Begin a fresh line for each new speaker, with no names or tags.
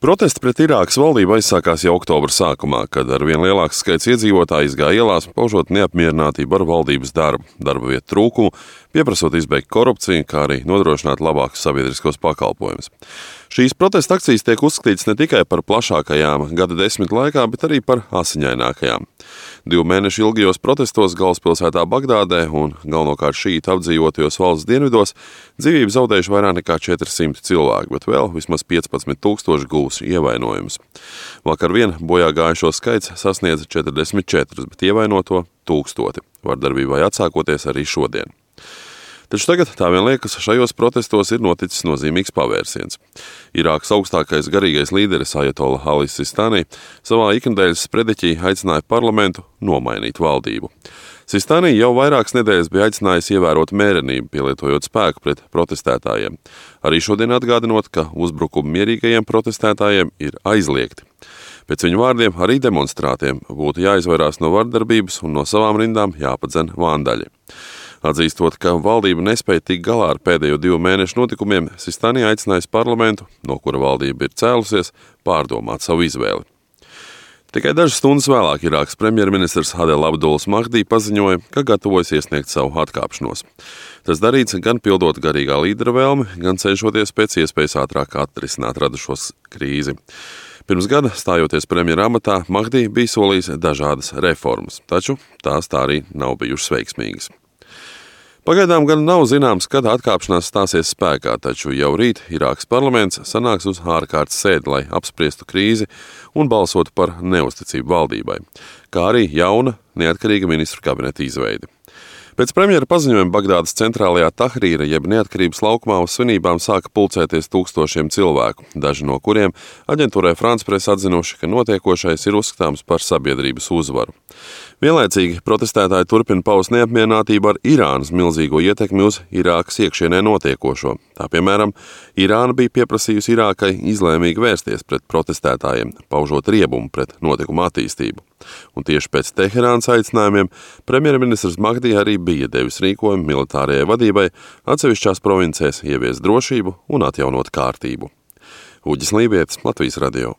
Protesti pret Irākas valdību aizsākās jau oktobra sākumā, kad arvien lielāks skaits iedzīvotāju izgāja ielās, paužot neapmierinātību ar valdības darbu, darba vietu trūkumu, pieprasot izbeigt korupciju, kā arī nodrošināt labākus sabiedriskos pakalpojumus. Šīs protesta akcijas tiek uzskatītas ne tikai par plašākajām gada desmit laikā, bet arī par asiņainākajām. 2 mēnešu ilgajos protestos galvaspilsētā Bagdādē un galvenokārt šītu apdzīvotajos valsts dienvidos dzīvību zaudējuši vairāk nekā 400 cilvēku, bet vēl vismaz 15 000 guvuši ievainojumus. Vakar vien bojā gājušo skaits sasniedza 44, bet ievainoto 1000, vardarbībai atsākoties arī šodien. Taču tagad tā vien liekas, šajos protestos ir noticis nozīmīgs pavērsiens. Irākas augstākais garīgais līderis Ajatolla Ali Sistani savā iknedēļas sprediķī aicināja parlamentu nomainīt valdību. Sistani jau vairākas nedēļas bija aicinājis ievērot mērenību, pielietojot spēku pret protestētājiem. Arī šodien atgādinot, ka uzbrukumi mierīgajiem protestētājiem ir aizliegti. Pēc viņu vārdiem arī demonstrātiem būtu jāizvairās no vardarbības un no savām rindām jāpadzen vandaļi. Atzīstot, ka valdība nespēja tikt galā ar pēdējo 2 mēnešu notikumiem, Sistani aicinājis parlamentu, no kura valdība ir cēlusies, pārdomāt savu izvēli. Tikai dažas stundas vēlāk Irākas premjerministrs Adel Abduls Mahdi paziņoja, ka gatavojas iesniegt savu atkāpšanos. Tas darīts gan pildot garīgā līdera vēlmi, gan cenšoties pēc iespējas ātrāk atrisināt radušos krīzi. Pirms gada, stājoties premjera amatā, Mahdi bija solījis dažādas reformas, taču tās tā arī nav bijušas veiksmīgas. Pagaidām gan nav zināms, kad atkāpšanās stāsies spēkā, taču jau rīt Irākas parlaments sanāks uz ārkārtas sēdi, lai apspriestu krīzi un balsotu par neusticību valdībai, kā arī jauna neatkarīga ministru kabineta izveidi. Pēc premjera paziņojuma Bagdādas centrālajā Tahrīra jeb neatkarības laukumā uz svinībām sāka pulcēties tūkstošiem cilvēku, daži no kuriem aģentūrai France Press atzinuši, ka notiekošais ir uzskatāms par sabiedrības uzvaru. Vienlaicīgi protestētāji turpina paust neapmierinātību ar Irānas milzīgo ietekmi uz Irākas iekšienē notiekošo. Tā piemēram, Irāna bija pieprasījusi Irākai izlēmīgi vērsties pret protestētājiem, paužot riebumu pret notikumu attīstību. Un tieši pēc Teherānas aicinājumiem premjerministrs Mahdi arī bija devis rīkojumu militārajai vadībai atsevišķās provincēs ieviest drošību un atjaunot kārtību. Uģis Lībietis, Latvijas radio.